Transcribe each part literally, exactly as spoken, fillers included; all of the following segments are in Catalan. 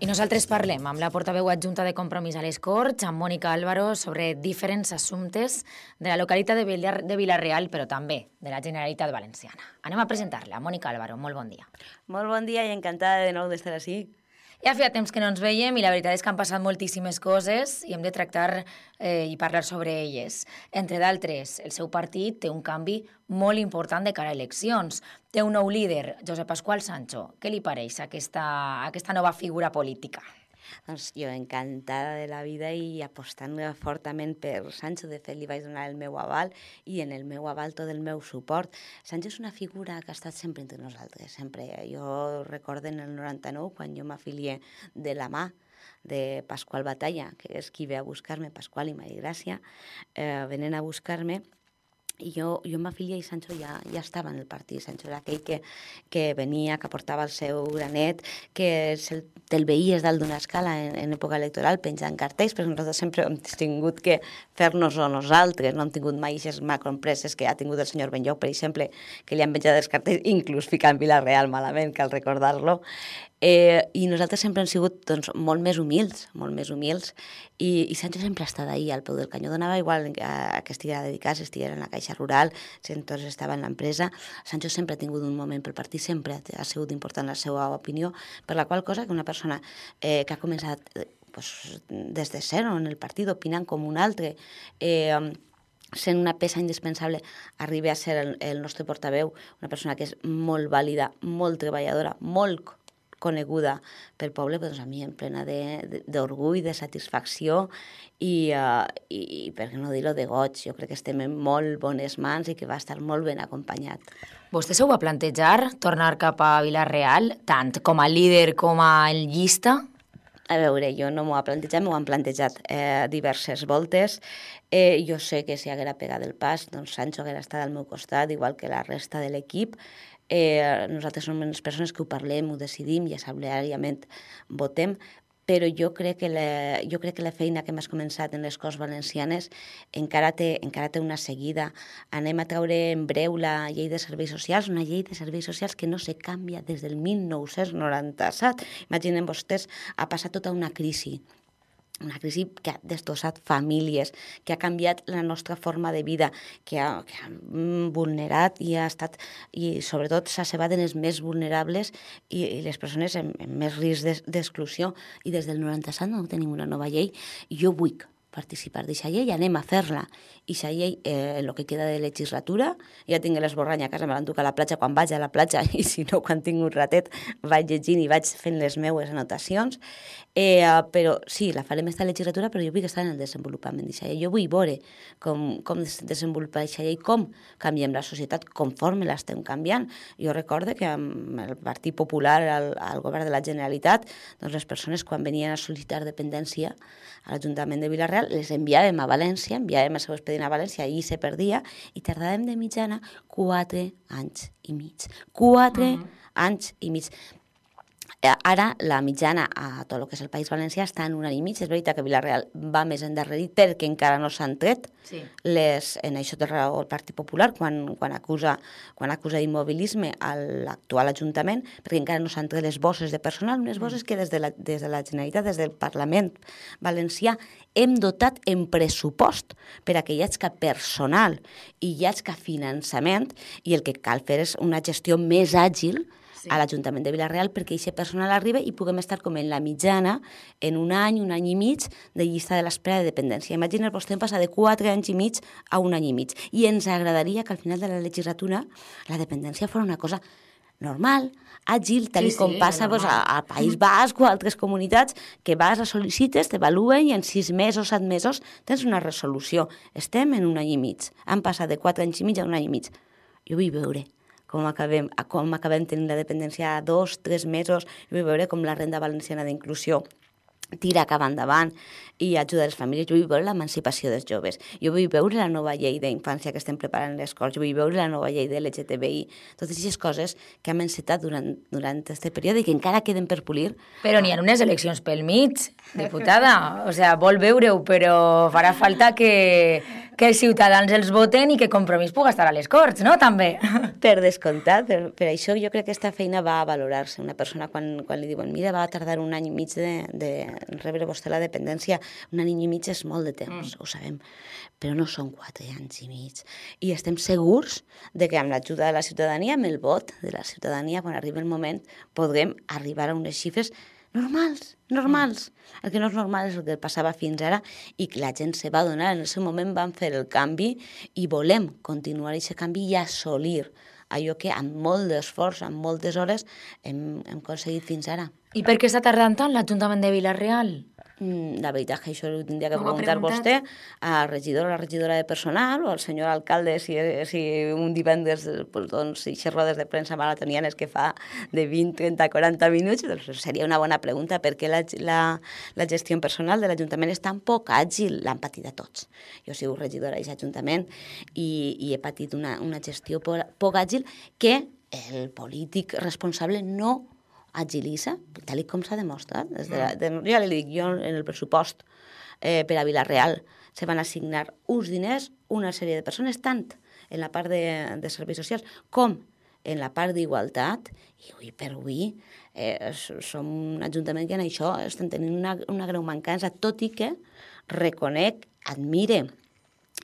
I nosaltres parlem amb la portaveu adjunta de Compromís a les Corts, amb Mònica Álvaro, sobre diferents assumptes de la localitat de, Villar, de Vila-real, però també de la Generalitat Valenciana. Anem a presentar-la. Mònica Álvaro, molt bon dia. Molt bon dia i encantada de nou d'estar així. Ja feia temps que no ens veiem i la veritat és que han passat moltíssimes coses i hem de tractar eh, i parlar sobre elles. Entre d'altres, el seu partit té un canvi molt important de cara a eleccions. Té un nou líder, Josep Pasqual Sancho. Què li pareix aquesta, aquesta nova figura política? Doncs jo encantada de la vida i apostant fortament per Sancho. De fet, li vaig donar el meu aval i en el meu aval tot el meu suport. Sancho és una figura que ha estat sempre entre nosaltres, sempre. Jo recordo en el noranta-nou, quan jo m'afilié de la mà de Pasqual Batalla, que és qui ve a buscar-me, Pasqual i Maria Gràcia, eh, venen a buscar-me, i jo, jo m'afilié i Sancho ja, ja estava en el partit. Sancho era aquell que, que venia, que portava el seu granet, que el, te'l veies dalt d'una escala en, en època electoral penjant cartells, però nosaltres sempre hem tingut que fer-nos-ho nosaltres, no hem tingut mai aquestes macroempreses que ha tingut el senyor Benlloc, per exemple, que li han penjat els cartells, inclús ficant Vila-real malament, cal recordar-lo. Eh, I nosaltres sempre hem sigut doncs, molt més humils, molt més humils, i, i Sancho sempre ha estat ahí, al peu del canyó. Donava igual a, a que estiguera dedicat, si estiguera en la Caixa Rural, si entonces estava en l'empresa. Sancho sempre ha tingut un moment pel partit, sempre ha sigut important la seva opinió, per la qual cosa que una persona eh, que ha començat eh, pues, des de zero en el partit, opinant com un altre, eh, sent una peça indispensable, arribi a ser el, el nostre portaveu, una persona que és molt vàlida, molt treballadora, molt coneguda pel poble, doncs a mi em plena d'orgull, de, de, de satisfacció i, uh, i, i, per què no dir-ho, de goig. Jo crec que estem en molt bones mans i que va estar molt ben acompanyat. Vostè s'ho va plantejar, tornar cap a Vila-real, tant com a líder com a llista? A veure, jo no m'ho he plantejat, m'ho han plantejat eh, diverses voltes. Eh, jo sé que si haguera pegat el pas, doncs Sancho haguera estat al meu costat, igual que la resta de l'equip. Eh, nosaltres som les persones que ho parlem, ho decidim i assembleàriament votem, però jo crec que la, jo crec que la feina que hem començat en les Corts Valencianes encara té, encara té una seguida. Anem a treure en breu la llei de serveis socials, una llei de serveis socials que no se canvia des del mil nou-cents noranta-set. Imaginen vostès, ha passat tota una crisi. Una crisi que ha destrossat famílies, que ha canviat la nostra forma de vida, que ha, que ha vulnerat i ha estat, i sobretot s'ha cebat en els més vulnerables i, i les persones amb, amb més risc d'exclusió. I des del noranta-set no tenim una nova llei. Jo vull participar d'aquesta llei, anem a fer-la. I aquesta llei, eh, en el que queda de legislatura, ja tinc l'esborrany a casa, me l'enduc a la platja quan vaig a la platja, i si no, quan tinc un ratet, vaig llegint i vaig fent les meues anotacions. Eh, però sí, la farem esta legislatura, però jo vull estar en el desenvolupament d'aquesta llei. Jo vull veure com, com desenvolupar aquesta llei, com canviem la societat, conforme l'estem canviant. Jo recordo que amb el Partit Popular al, al govern de la Generalitat, doncs les persones quan venien a sol·licitar dependència a l'Ajuntament de Vila-real les enviàvem a València, enviàvem el seu expedient a València, i se perdia, i tardàvem de mitjana quatre anys i mig. Quatre uh-huh. anys i mig. Ara la mitjana a tot el que és el País Valencià està en un any i mig. És veritat que Vila-real va més endarrerit perquè encara no s'han tret sí. les, en això té raó el Partit Popular quan, quan acusa, quan acusa d'immobilisme a l'actual Ajuntament, perquè encara no s'han tret les bosses de personal, unes bosses que des de, la, des de la Generalitat, des del Parlament Valencià, hem dotat en pressupost per a que hi hagi personal i hi hagi finançament, i el que cal fer és una gestió més àgil sí. a l'Ajuntament de Vila-real perquè aquest personal arriba i puguem estar com en la mitjana en un any, un any i mig de llista de l'espera de dependència. Imagina, vostè passar de quatre anys i mig a un any i mig. I ens agradaria que al final de la legislatura la dependència fos una cosa normal, àgil, tal sí, com sí, passa doncs, al País Basc o a altres comunitats, que vas a sol·licites, t'evaluen i en sis mesos, set mesos tens una resolució. Estem en un any i mig. Han passat de quatre anys i mig a un any i mig. Jo vull veure com acabem, com acabem tenint la dependència a dos, tres mesos. Jo vull veure com la renda valenciana d'inclusió tira cap endavant i ajuda les famílies. Jo vull veure l'emancipació dels joves. Jo vull veure la nova llei d'infància que estem preparant les Corts. Jo vull veure la nova llei de l'L G T B I. Totes aquestes coses que hem encetat durant, durant aquest període i que encara queden per polir. Però n'hi ha unes eleccions pel mig, diputada. O sigui, vol veure-ho, però farà falta que, que els ciutadans els voten i que Compromís pugui estar a les Corts, no? També. Per descomptat, per, per això jo crec que aquesta feina va a valorar-se. Una persona quan, quan li diuen mira, va tardar un any i mig de, de rebre vostè la dependència, un any i mig és molt de temps, mm. ho sabem, però no són quatre anys i mig. I estem segurs de que amb l'ajuda de la ciutadania, amb el vot de la ciutadania, quan arribi el moment, podrem arribar a unes xifres normals, normals. El que no és normal és el que passava fins ara i que la gent se va donar. En el seu moment van fer el canvi i volem continuar aquest canvi i assolir allò que amb molt d'esforç, amb moltes hores, hem, hem aconseguit fins ara. I per què està tardant tant l'Ajuntament de Vila-real? La veritat que això ho tindria que preguntar vostè a regidor o la regidora de personal o al senyor alcalde si, si un divendres pues, doncs, i rodes de premsa maratonianes que fa de vint, trenta, quaranta minuts, doncs seria una bona pregunta perquè la, la, la gestió personal de l'Ajuntament és tan poc àgil, l'han patit a tots. Jo he sigut regidora d'aquest Ajuntament i, i he patit una, una gestió poc, poc àgil que el polític responsable no agilitza, tal com s'ha demostrat. Des de la, de, ja li dic, jo en el pressupost eh, per a Vila-real se van assignar uns diners, una sèrie de persones, tant en la part de, de serveis socials com en la part d'igualtat, i avui per avui eh, som un ajuntament que en això estem tenint una, una greu mancança, tot i que reconec, admire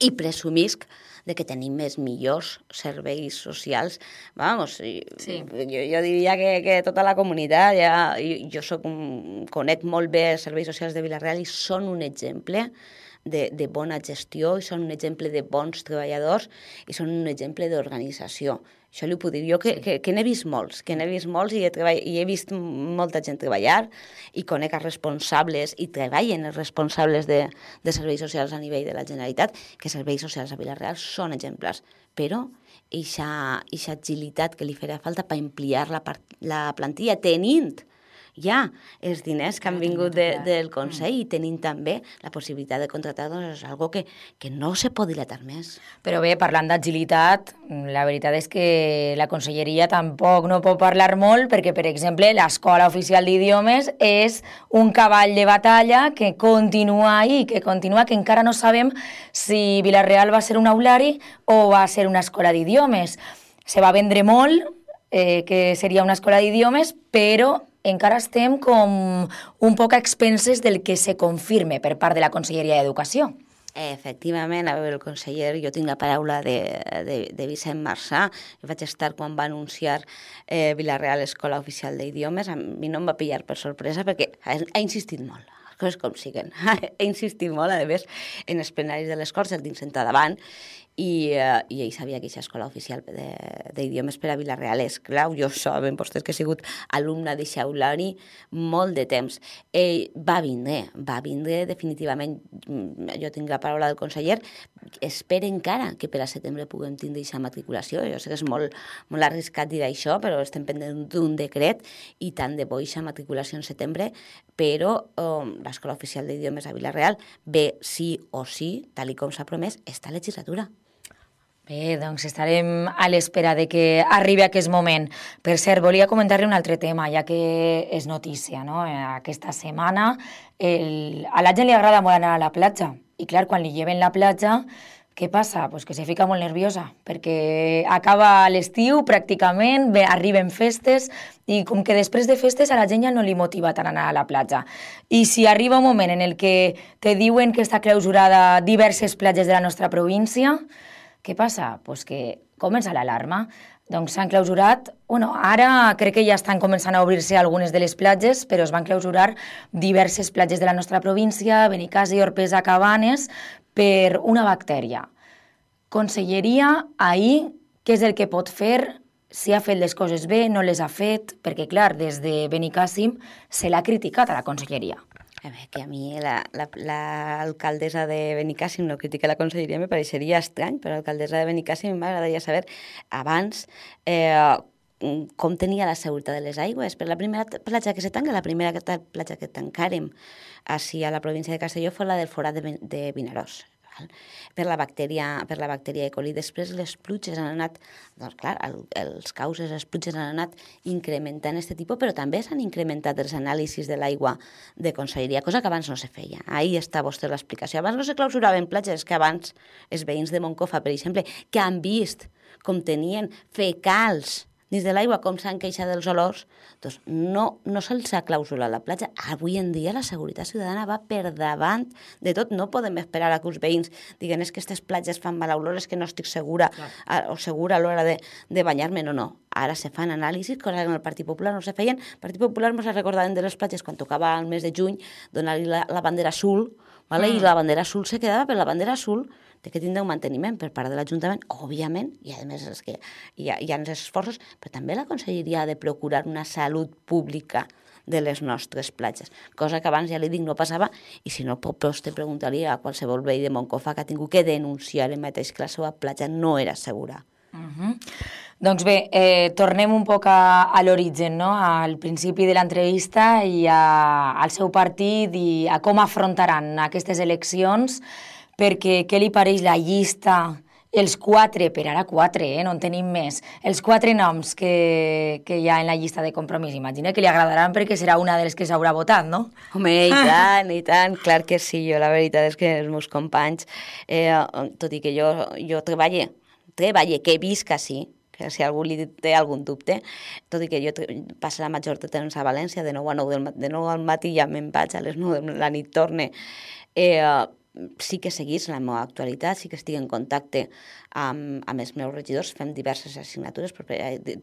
i presumisc de que tenim més millors serveis socials. Vamos, sí. jo, jo diria que, que tota la comunitat, ja, jo, jo soc un, conec molt bé els serveis socials de Vila-real i són un exemple de, de bona gestió, i són un exemple de bons treballadors i són un exemple d'organització. Això li puc dir jo, que, que, que n'he vist molts, que n'he vist molts i he, treball... i he vist molta gent treballar i conec els responsables i treballen els responsables de, de serveis socials a nivell de la Generalitat, que serveis socials a Vila-real són exemplars, però aquesta agilitat que li farà falta per ampliar la, part, la plantilla tenint ja els diners que han vingut de, del Consell i tenint també la possibilitat de contractar, doncs és algo que, que no se pot dilatar més. Però bé, parlant d'agilitat, la veritat és que la Conselleria tampoc no pot parlar molt perquè, per exemple, l'Escola Oficial d'Idiomes és un cavall de batalla que continua ahí, que continua, que encara no sabem si Vila-real va ser un aulari o va ser una escola d'idiomes. Se va vendre molt eh, que seria una escola d'idiomes, però encara estem com un poc a expenses del que se confirme per part de la Conselleria d'Educació. Efectivament, a veure, el conseller, jo tinc la paraula de, de, de Vicent Marçà, jo vaig estar quan va anunciar eh, Vila-real Escola Oficial d'Idiomes, a mi no em va pillar per sorpresa perquè ha, ha insistit molt, les coses com siguen, ha insistit molt, a més, en els plenaris de les Corts, el tinc sentat davant, i, uh, i ell sabia que aquesta escola oficial d'idiomes per a Vila-real és clau. Jo saben vostès que he sigut alumna de Xaulari molt de temps. Ell va vindre, va vindre definitivament, jo tinc la paraula del conseller, espera encara que per a setembre puguem tindre aquesta matriculació. Jo sé que és molt, molt arriscat dir això, però estem pendent d'un decret i tant de bo aquesta matriculació en setembre, però um, l'escola oficial d'idiomes a Vila-real ve sí o sí, tal com s'ha promès, esta legislatura. Bé, doncs estarem a l'espera de que arribi aquest moment. Per cert, volia comentar-li un altre tema, ja que és notícia, no? Aquesta setmana el... a la gent li agrada molt anar a la platja. I clar, quan li lleven la platja, què passa? Pues que se fica molt nerviosa, perquè acaba l'estiu pràcticament, bé, arriben festes, i com que després de festes a la gent ja no li motiva tant anar a la platja. I si arriba un moment en el que te diuen que està clausurada diverses platges de la nostra província, què passa? Pues que comença l'alarma. Doncs s'han clausurat, bueno, ara crec que ja estan començant a obrir-se algunes de les platges, però es van clausurar diverses platges de la nostra província, Benicàssim, Orpesa, Cabanes, per una bactèria. Conselleria, ahir, què és el que pot fer? Si ha fet les coses bé, no les ha fet, perquè, clar, des de Benicàssim se l'ha criticat a la Conselleria. A veure, que a mi l'alcaldessa la, la, de Benicàssim no critica la conselleria, me pareixeria estrany, però l'alcaldessa de Benicàssim m'agradaria saber abans eh, com tenia la seguretat de les aigües. Per la primera platja que se tanca, la primera platja que tancàrem així a la província de Castelló fue la del forat de, de Vinaròs. per la bactèria, per la bactèria E. coli. Després les pluges han anat, doncs clar, el, els causes, les pluges han anat incrementant aquest tipus, però també s'han incrementat els anàlisis de l'aigua de conselleria, cosa que abans no se feia. Ahí està vostè l'explicació. Abans no se clausuraven platges, que abans els veïns de Moncofa, per exemple, que han vist com tenien fecals dins de l'aigua, com s'han queixat dels olors, doncs no, no se'ls ha clausurat la platja. Avui en dia la seguretat ciutadana va per davant de tot. No podem esperar a que els veïns diguen és que aquestes platges fan mala olor, és que no estic segura a, o segura a l'hora de, de banyar-me. No, no. Ara se fan anàlisis, cosa que en el Partit Popular no se feien. El Partit Popular ens recordaven de les platges quan tocava el mes de juny, donar-li la, la bandera azul, ¿vale? Mm. I la bandera azul se quedava, però la bandera azul té que tindre un manteniment per part de l'Ajuntament, òbviament, i a més és que hi ha, hi ha els esforços, però també la Conselleria ha de procurar una salut pública de les nostres platges, cosa que abans, ja li dic, no passava, i si no, vostè preguntaria a qualsevol veí de Moncofa que ha tingut que denunciar el mateix que la seva platja no era segura. Uh-huh. Doncs bé, eh, tornem un poc a, a l'origen, no? Al principi de l'entrevista i a, al seu partit i a com afrontaran aquestes eleccions, perquè què li pareix la llista, els quatre, per ara quatre, eh, no en tenim més, els quatre noms que, que hi ha en la llista de Compromís? Imagina que li agradaran perquè serà una de les que s'haurà votat, no? Home, i tant, i tant, clar que sí. Jo la veritat és que els meus companys, eh, tot i que jo, jo treballe, treballe, que visc així, que si algú li té algun dubte, tot i que jo passo la major de temps a València, de nou a nou del, de nou al matí ja me'n vaig, a les nou de la nit torne, eh, sí que seguís la meva actualitat, sí que estic en contacte amb, amb els meus regidors, fem diverses assignatures,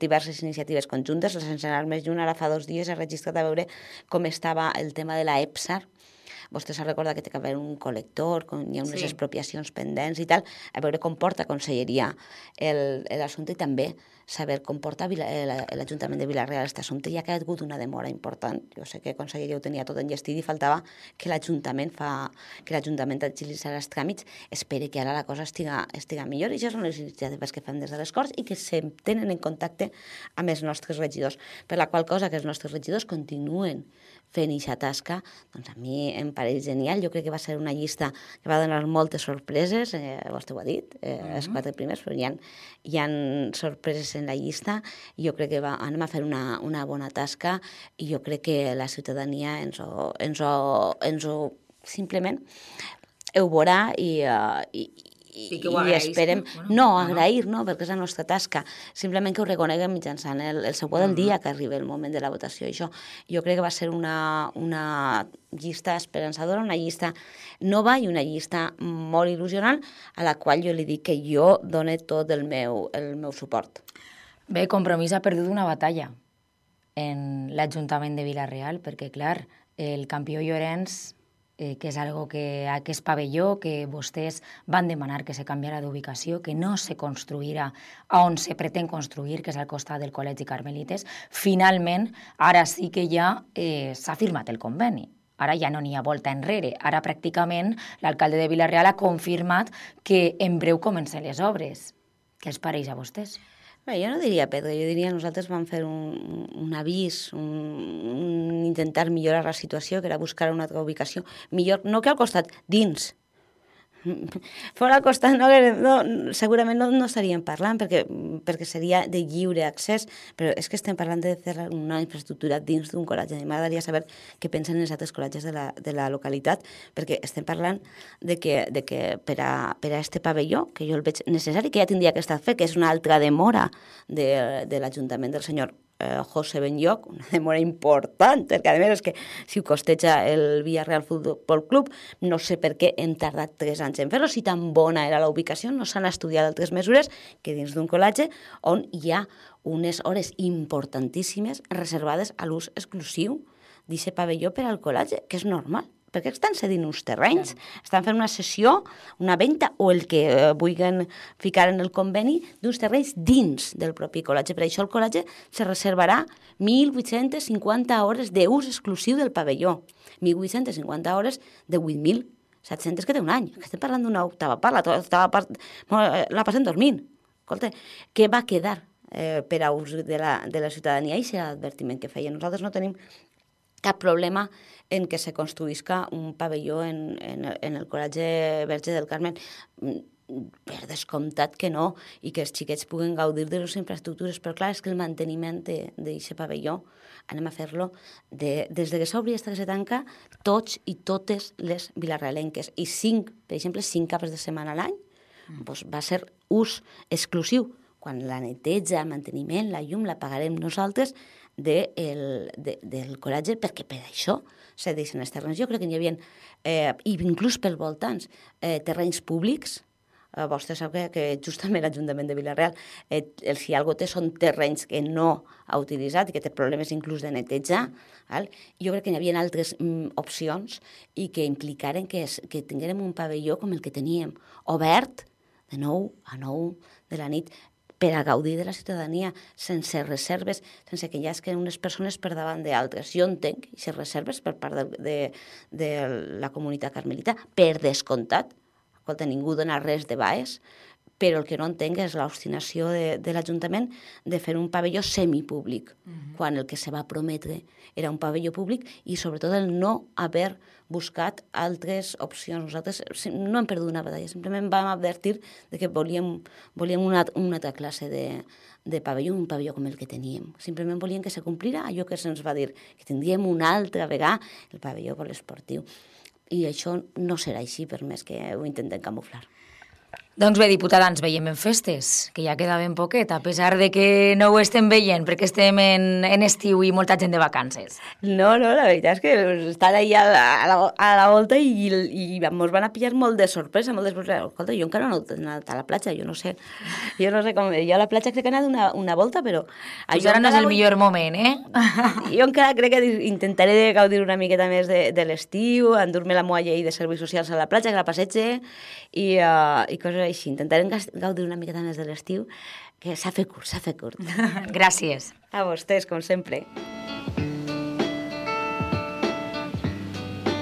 diverses iniciatives conjuntes, sense anar més lluny, ara fa dos dies he registrat a veure com estava el tema de la EPSAR. Vostè s'ha recordat que té que haver un col·lector, com hi ha unes sí. expropiacions pendents i tal, a veure com porta Conselleria l'assumpte i també saber com porta l'Ajuntament de Vila-real aquest assumpte. Ja que ha hagut una demora important. Jo sé que Conselleria ho tenia tot enllestit i faltava que l'Ajuntament fa que l'Ajuntament agilitzarà els tràmits. Espere que ara la cosa estiga, estiga millor i això són les iniciatives que fem des de les Corts i que se tenen en contacte amb els nostres regidors. Per la qual cosa que els nostres regidors continuen fent aquesta tasca, doncs a mi em pareix genial. Jo crec que va ser una llista que va donar moltes sorpreses, eh, vostè ho ha dit, eh, uh-huh. els quatre primers, però hi ha, hi ha sorpreses en la llista i jo crec que va, anem a fer una, una bona tasca i jo crec que la ciutadania ens ho, ens ho, ens ho simplement ho veurà i, uh, i, i, que i esperem, bueno, no, agrair, no, perquè és la nostra tasca, simplement que ho reconeguem mitjançant el, el següent del dia que arriba el moment de la votació. I això jo crec que va ser una, una llista esperançadora, una llista nova i una llista molt il·lusionant a la qual jo li dic que jo dono tot el meu, el meu suport. Bé, Compromís ha perdut una batalla en l'Ajuntament de Vila-real, perquè, clar, el campió Llorenç, eh, que és algo que aquest pavelló, que vostès van demanar que se canviara d'ubicació, que no se construirà on se pretén construir, que és al costat del Col·legi Carmelites, finalment, ara sí que ja eh, s'ha firmat el conveni. Ara ja no n'hi ha volta enrere. Ara pràcticament l'alcalde de Vila-real ha confirmat que en breu comencen les obres. Què els pareix a vostès? Bé, jo no diria perdre, jo diria nosaltres vam fer un, un avís, un, un intentar millorar la situació, que era buscar una altra ubicació. Millor, no que al costat, dins. Fora al costat no, no, segurament no, no estaríem parlant perquè, perquè seria de lliure accés, però és que estem parlant de fer una infraestructura dins d'un col·legi. M'agradaria saber què pensen els altres col·legis de la, de la localitat, perquè estem parlant de que, de que per a, per a este pavelló, que jo el veig necessari, que ja tindria que estar fet, que és una altra demora de, de l'Ajuntament del senyor José Benlloch, una demora important, perquè a més és que si ho costeja el Villarreal Futbol Club, no sé per què hem tardat tres anys en fer-ho, si tan bona era la ubicació, no s'han estudiat altres mesures que dins d'un col·legi on hi ha unes hores importantíssimes reservades a l'ús exclusiu d'aquest pavelló per al col·legi, que és normal. Perquè estan cedint uns terrenys, estan fent una cessió, una venda o el que eh, vulguin ficar en el conveni d'uns terrenys dins del propi col·legi. Per això el col·legi se reservarà mil vuit-centes cinquanta hores d'ús exclusiu del pavelló, mil vuit-centes cinquanta hores de vuit mil set-centes que té un any. Que estem parlant d'una octava part, la, octava part la passem dormint. Escolta, què va quedar eh, per a ús de la, de la ciutadania? I serà l'advertiment que feia. Nosaltres no tenim cap problema en què se construïsca un pavelló en, en, en el Col·legi Verge del Carmen. Per descomptat que no, i que els xiquets puguen gaudir de les infraestructures, però clar, és que el manteniment d'aquest pavelló anem a fer-lo de, des de que s'obri fins que se tanca, tots i totes les vilarrealenques, i cinc, per exemple, cinc caps de setmana a l'any, mm. doncs va ser ús exclusiu. Quan la neteja, el manteniment, la llum la pagarem nosaltres de el, de, del col·legi, perquè per això se deixen els terrenys. Jo crec que n'hi havia, eh, inclús pels voltants, eh, terrenys públics. Eh, vostè sap que, que justament l'Ajuntament de Vila-real, eh, el si algú té són terrenys que no ha utilitzat i que té problemes inclús de netejar. Val? Jo crec que n'hi havia altres mm, opcions i que implicaren que, es, que tinguérem un pavelló com el que teníem, obert de nou a nou de la nit, per a gaudir de la ciutadania, sense reserves, sense que hi hagi unes persones per davant d'altres. Jo entenc aquestes reserves per part de, de, de la comunitat carmelita, per descomptat. Escolta, ningú dona res de baix, però el que no entenc és l'obstinació de, de l'Ajuntament de fer un pavelló semipúblic, uh-huh. quan el que se va prometre era un pavelló públic i sobretot el no haver buscat altres opcions. Nosaltres no hem perdut una batalla, simplement vam advertir de que volíem, volíem una, una altra classe de, de pavelló, un pavelló com el que teníem. Simplement volíem que se complira allò que se'ns va dir, que tindríem una altra vegada el pavelló poliesportiu. I això no serà així, per més que ho intentem camuflar. Doncs bé, diputada, ens veiem en festes, que ja queda ben poquet, a pesar de que no ho estem veient, perquè estem en, en estiu i molta gent de vacances. No, no, la veritat és que estan allà a la, a la volta i, i ens van a pillar molt de sorpresa, molt de sorpresa. Escolta, jo encara no he anat a la platja, jo no sé, jo no sé com... Jo a la platja crec que he anat una, una volta, però... Pues ara no és el vull... millor moment, eh? Jo encara crec que intentaré gaudir una miqueta més de, de l'estiu, endur-me la molla i de serveis socials a la platja, que la passege, i, uh, i coses així. Intentarem gaudir una miqueta més de l'estiu, que s'ha fet curt, s'ha fet curt. Gràcies. A vostès, com sempre.